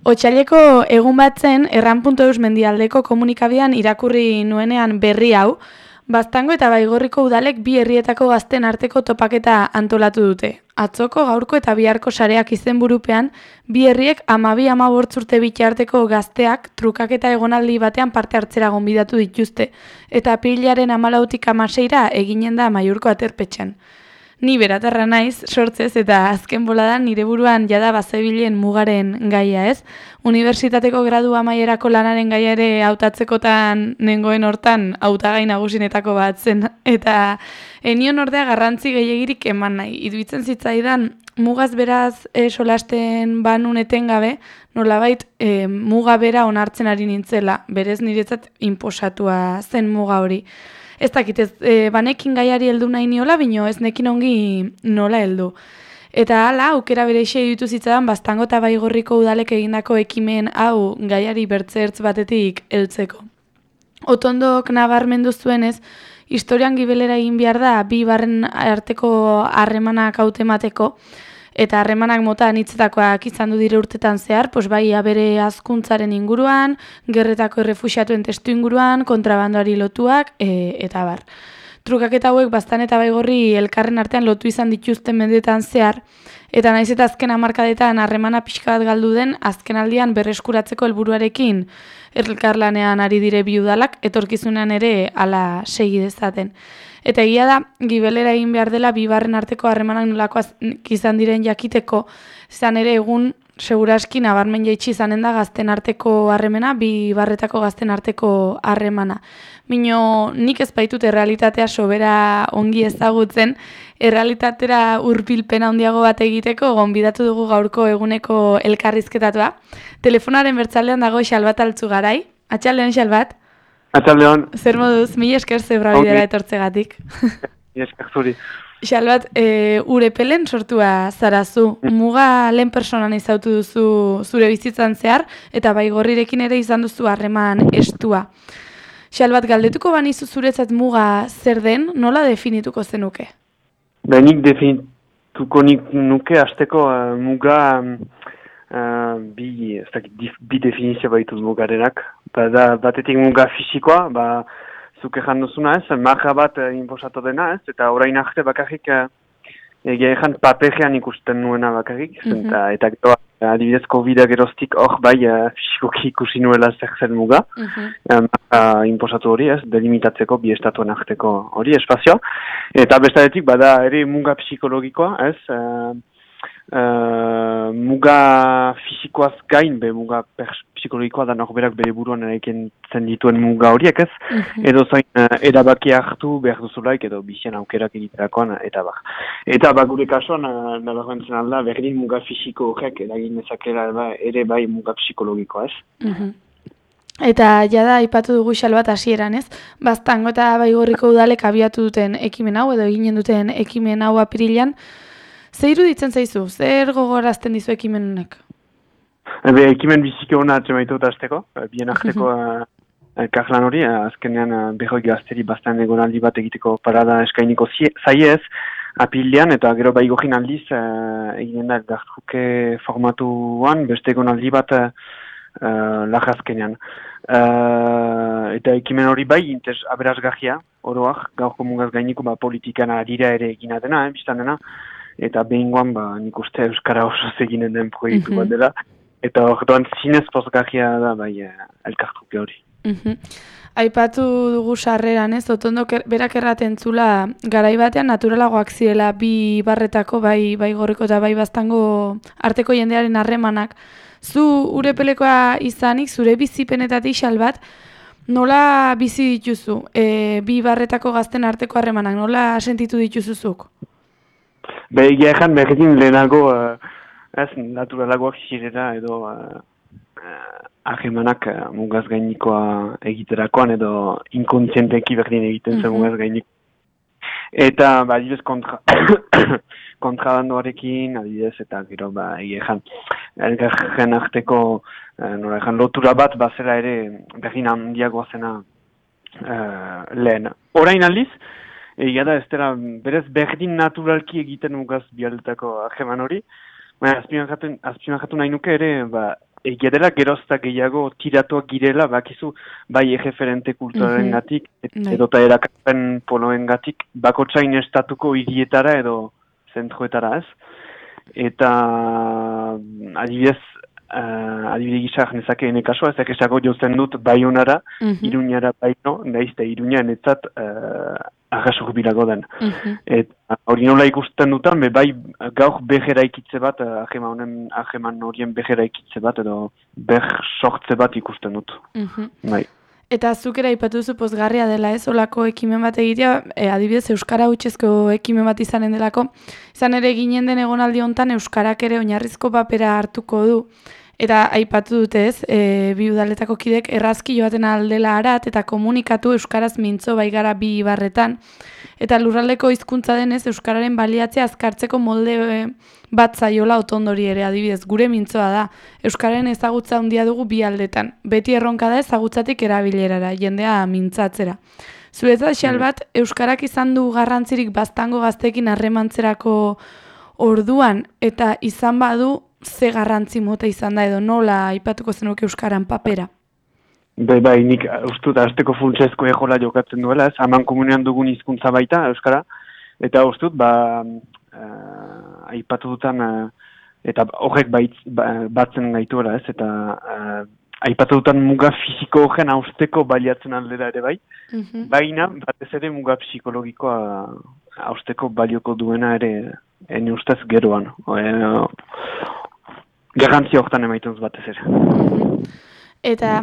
Otsaileko egun bat zen erran.eus mendialdeko komunikabidean irakurri nuenean berri hau, Baztango eta Baigorriko udalek bi herrietako gazten arteko topaketa antolatu dute. Atzoko, gaurko eta biharko sareak izenburupean, bi herriek 12-15 urte bitarteko gazteak trukaketa egonaldi batean parte hartzera gonbidatu dituzte, eta apirilaren 14tik 16ra eginen da Amaiurko aterpetxean. Ni beratarra naiz, sortzez eta azken boladan nire buruan jada bazebilen mugaren gaia ez. Unibertsitateko gradu amaierako lanaren gaia ere hautatzekotan nengoen hortan hautagai nagusinetako bat zen. Eta enion ordea garrantzi gehiegirik eman nahi. Iduitzen zitzaidan mugaz beraz solasten banun etengabe, nolabait muga bera onartzen ari nintzela. Berez niretzat inposatua zen muga hori. Ez dakit, banekin gaiari heldu nahi niola, bino ez nekin ongi nola heldu. Eta hala, aukera bereixe ditu zitzadan Baztango eta Baigorriko udalek egindako ekimen hau gaiari bertzertz batetik heltzeko. Otondok nabarmendu zuenez, historian gibelera egin behar da bi barren arteko harremanak hautemateko, eta harremanak mota anitzetakoak izan du dire urtetan zehar, bai abere hazkuntzaren inguruan, gerretako errefuxiatuen testu inguruan, kontrabandoari lotuak, eta bar. Trukaketa hauek Baztan eta Baigorri elkarren artean lotu izan dituzten mendeetan zehar, eta naiz eta azken hamarkadetan harremana pixka bat galdu den, azken aldian berreskuratzeko helburuarekin elkarlanean ari dire bi udalak, etorkizunean ere hala segi dezaten. Eta egia da, gibelera egin behar dela bi barren arteko harremanak nolakoak izan diren jakiteko, izan ere egun seguraski nabarmen jaitsi izanen da gazten arteko harremana, bi barretako gazten arteko harremana. Mino nik ez baitut errealitatea sobera ongi ezagutzen, errealitatera hurbilpen handiago bat egiteko gonbidatu dugu gaurko eguneko elkarrizketatua. Telefonaren bertzaldean dago Xalbat Altzugarai. Atxaldeon Xalbat. Atxaldeon. Zer moduz, mila esker zebrabidera etortzegatik. Mila esker zuri. Xalbat, Urepelen sortua zarazu. Muga lehen personan izautu duzu zure bizitzan zehar, eta Baigorrirekin ere izan duzu harreman estua. Xalbat, galdetuko banizu zuretzat muga zer den, nola definituko zenuke? Nik definituko nuke hasteko muga bi definizio baituz mugarenak. Batetik muga fisikoa, zuk ejan duzuna ez, marra bat inposatu dena ez, eta orain arte bakarrik egia ejan paperean ikusten nuena bakarrik, eta gero adibidez COVID-a geroztik hor fisikoki ikusi nuela zer zen muga, inposatu hori ez, delimitatzeko bi estatuen arteko hori espazioa, eta bestaretik bada ere muga psikologikoa ez, muga fisikoaz gain, muga psikologikoa da norberak bere buruan eraiken zen dituen muga horiek ez, edo zain erabaki hartu behar duzulaik edo bizian aukerak egiterakoan, eta bar. Eta gure kasuan, nabarmentzen alda, berdin muga fisiko horrek eragin ezakera ere bai muga psikologikoa ez. Eta jada aipatu dugu Xalbat hasieran ez, Baztango eta Baigorriko udalek abiatu duten ekimen hau, edo eginen duten ekimen hau apirilan, zer iruditzen zaizu? Zer gogorazten dizu ekimen honek? Ekimen biziki hona atzemaitut azteko, bien arteko elkarlan hori, azkenean behoi gazteri Baztan egonaldi bat egiteko parada eskainiko zaiez, apirilean, eta gero Baigorrin aldiz eginen da elkartruke formatuan, beste egonaldi bat lagazkenean. Eta ekimen hori bai, aberazgarria, oroak, gaurko mugaz gainiko politikan adira ere egina dena, biztan dena, eta behingoan nik uste Euskara oso eginen den proiektu bat dela, eta orduan zinez pozgarria da bai elkartruke hori. Aipatu dugu sarreran ez, Otondok berak erraten zula garai batean naturalagoak zirela bi barretako, bai Baigorriko eta bai Baztango arteko jendearen harremanak. Zu Urepelekoa izanik, zure bizipenetatik Xalbat, nola bizi dituzu? Bi barretako gazten arteko harremanak, nola sentitu dituzuzuk? Egia ejan berdin lehenago naturalagoak zirela edo harremanak mugaz gainikoa egiterakoan edo inkontzienteki berdin egiten zen mugaz gainiko. Eta adibidez kontrabandoarekin, adibidez, eta gero egia ejan elgarren arteko lotura bat bazela ere berdin handiagoa zena lehen. Orain aldiz, egia da ez dela berez berdin naturalki egiten mugaz bialdetako harreman hori, azpimarratu nahi nuke ere egia dela gerozta gehiago tiratuak girela, bakizu, bai erreferente kulturaren gatik, edota erakapen poloen gatik, bakotsain estatuko hirietara edo zentroetara ez. Eta adibidez gisa nezake ene kasua, ezak esago jozen dut Baionara, Iruñara baino, nahizte Iruña netzat arrasuk bilago den. Eta hori nola ikusten dutan, bai gaur behera ikitze bat, aheman horien behera ikitze bat, edo sortze bat ikusten dut. Bai. Eta zuk ere aipatu duzu pozgarria dela ez, olako ekimen bat egitea, adibidez Euskara hutsezko ekimen bat izanen delako, izan ere ginen den egonaldi hontan Euskarak ere oinarrizko papera hartuko du. Eta aipatu dute ez, bi udaletako kidek errazki joaten aldela arat eta komunikatu Euskaraz mintzo baigara bi ibarretan. Eta lurraldeko hizkuntza denez Euskararen baliatzea azkartzeko molde bat zaiola otondori ere adibidez. Gure mintzoa da, Euskararen ezagutza handia dugu bi aldetan. Beti erronka da ezagutzatik erabilerara, jendea mintzatzera. Zuretzat Xalbat, Euskarak izan du garrantzirik baztango gazteekin harremantzerako orduan eta izan badu ze garrantzi mota izan da edo nola aipatuko zenuke Euskaran papera? Bai, nik ustut azteko funtsezko ejola jokatzen duela, ez? Haman komunean dugun hizkuntza baita, Euskara, eta ustut, aipatu dutan, eta horrek batzen gaituela, ez? Eta aipatu dutan muga fisiko horren hausteko baliatzen aldera ere bai, baina batez ere muga psikologikoa hausteko balioko duena ere ene ustez geroan. Garrantzia horretan emaituz batez ere. Eta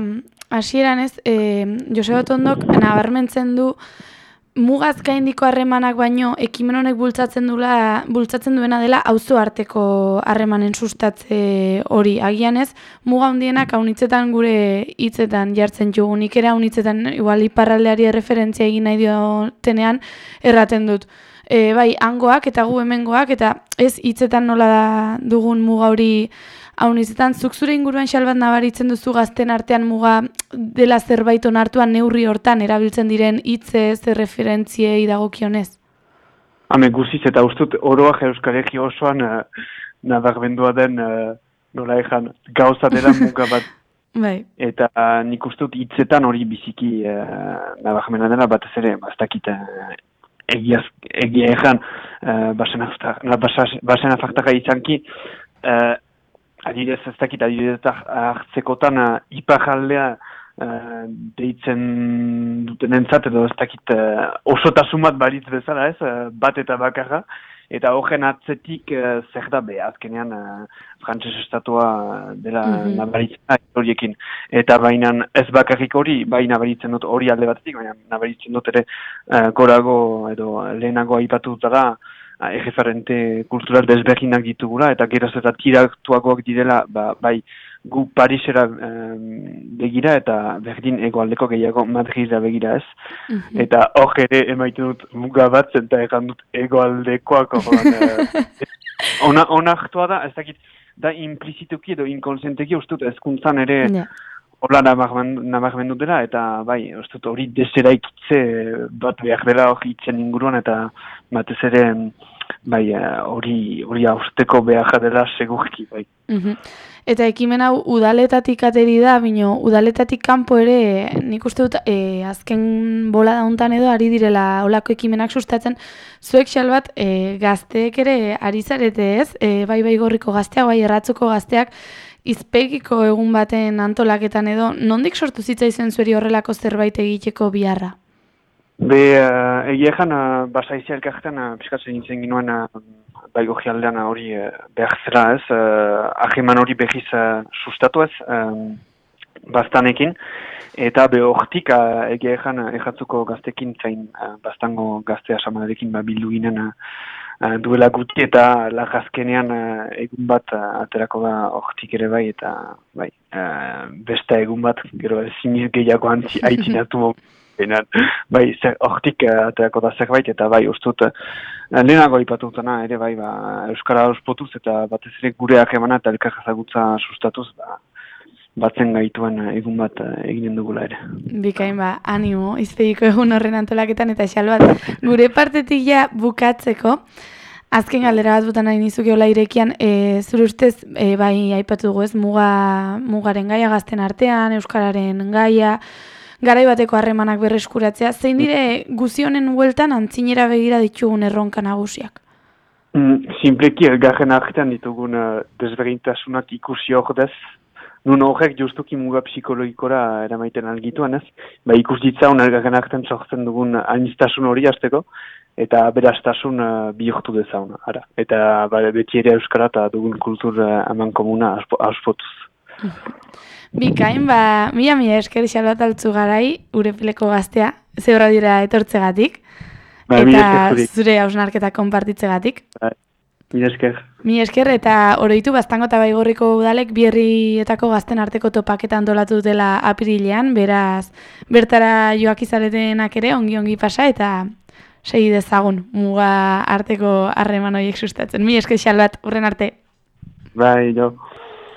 hasieran ez, Joseba Otondok nabarmentzen du mugaz gaindiko harremanak baino ekimen honek bultzatzen duena dela auzo arteko harremanen sustatze hori. Agian ez, muga handienak haunitzetan gure hitzetan jartzen jugu. Nik ere haunitzetan igual iparraldeari referentzia egin nahi diotenean erraten dut. Bai, hangoak eta gu hemengoak eta ez hitzetan nola da dugun muga hori haunitzetan. Zuk zure inguruan Xalbat nabaritzen duzu gazten artean muga dela zerbait onartuan neurri hortan erabiltzen diren hitze zer referentziei dagokionez? Guziz eta ustut oroak Euskaregi osoan nabarmendua den nola ejan gauza dela muga bat. Bai. Eta nik ustut hitzetan hori biziki nabarmena dela batez ere, bastakit egia ejan basen afartaka izanki adibidez ez dakit hartzekotan iparraldea deitzen dutenentzat edo ez dakit osotasun bat balitz bezala ez, bat eta bakarra, eta horren atzetik zer da azkenean frantses estatua dela nabaritzen horiekin. Eta baina ez bakarrik hori, bai nabaritzen dut hori alde batetik, baina nabaritzen dut ere gorago edo lehenago aipatu dutara erreferente kultural desberdinak ditugula, eta geroz eta tiratuagoak direla, bai gu Parisera begira eta berdin egoaldeko gehiago Madrida begira ez. Eta hor ere emaiten dut muga bat, zenta egan dut egoaldekoak onartua da, ez dakit, da implizituki edo inkonsienteki ustut ezkuntzan ere hola nabarmendu dela, eta bai, ustut hori deseraikitze bat behar dela hori itzen inguruan, eta batez ere bai, hori hausteko behar dela segurki, bai. Eta ekimen hau udaletatik ateri da, bino udaletatik kanpo ere nik uste dut azken bola dauntan edo ari direla olako ekimenak sustatzen. Zuek Xalbat gazteek ere ari zarete ez, bai gorriko gazteak, bai erratzuko gazteak, izpegiko egun baten antolaketan edo, nondik sortu zitzaizen zueri horrelako zerbait egiteko biharra? Egia egan, basaizia elkartean piskatzen nintzen ginoen bai gojialdean hori behar zela ez, ahiman hori behiz sustatu ez, bastanekin, eta hortik egia egan erratzuko gaztekin zain bastango gaztea samadarekin bildu ginen duela guti, eta lagazkenean egun bat aterako da hortik ere bai, eta bai, beste egun bat, gero ziniz gehiago haitzinatu bai, hortik aterako da zerbait, eta bai, ustut, lehenago ipatutena ere bai, Euskara ospotuz, eta batez ere gure ahemana eta elkarrazagutza sustatuz, batzen gaituen egun bat eginen dugula ere. Bikain animo, izpegiko egun horren antolaketan, eta Xalbat, gure partetik ja bukatzeko, Azken galdera bat botan nahi nizuke hola irekian, zure ustez, bai aipatu dugu ez, mugaren gaia gazten artean, euskararen gaia, garai bateko harremanak berreskuratzea, zein dire guzionen hueltan antzinera begira ditugun erronka nagusiak? Simpleki elgarren artean ditugun desberdintasunak ikusi ordez, nun horrek justuki muga psikologikora eramaiten algituan ez, ikus ditzaun elgarren artean sortzen dugun aniztasun hori hasteko, eta berastasun bihurtu dezauna, ara. Eta beti ere euskara eta dugun kultur eman komuna auspotuz. Bikain, mila esker Xalbat Altzugarai, Urepeleko gaztea, zeurra dira etortzegatik, eta zure hausnarketa konpartitzegatik. Mila esker. Mila esker, eta oroitu Baztango eta Baigorriko udalek bi herrietako gazten arteko topaketa antolatu dutela apirilean, beraz, bertara joak izaretenak ere ongi pasa, eta segi dezagun muga arteko harreman horiek sustatzen. Mila esker Xalbat, hurren arte. Bai, jo.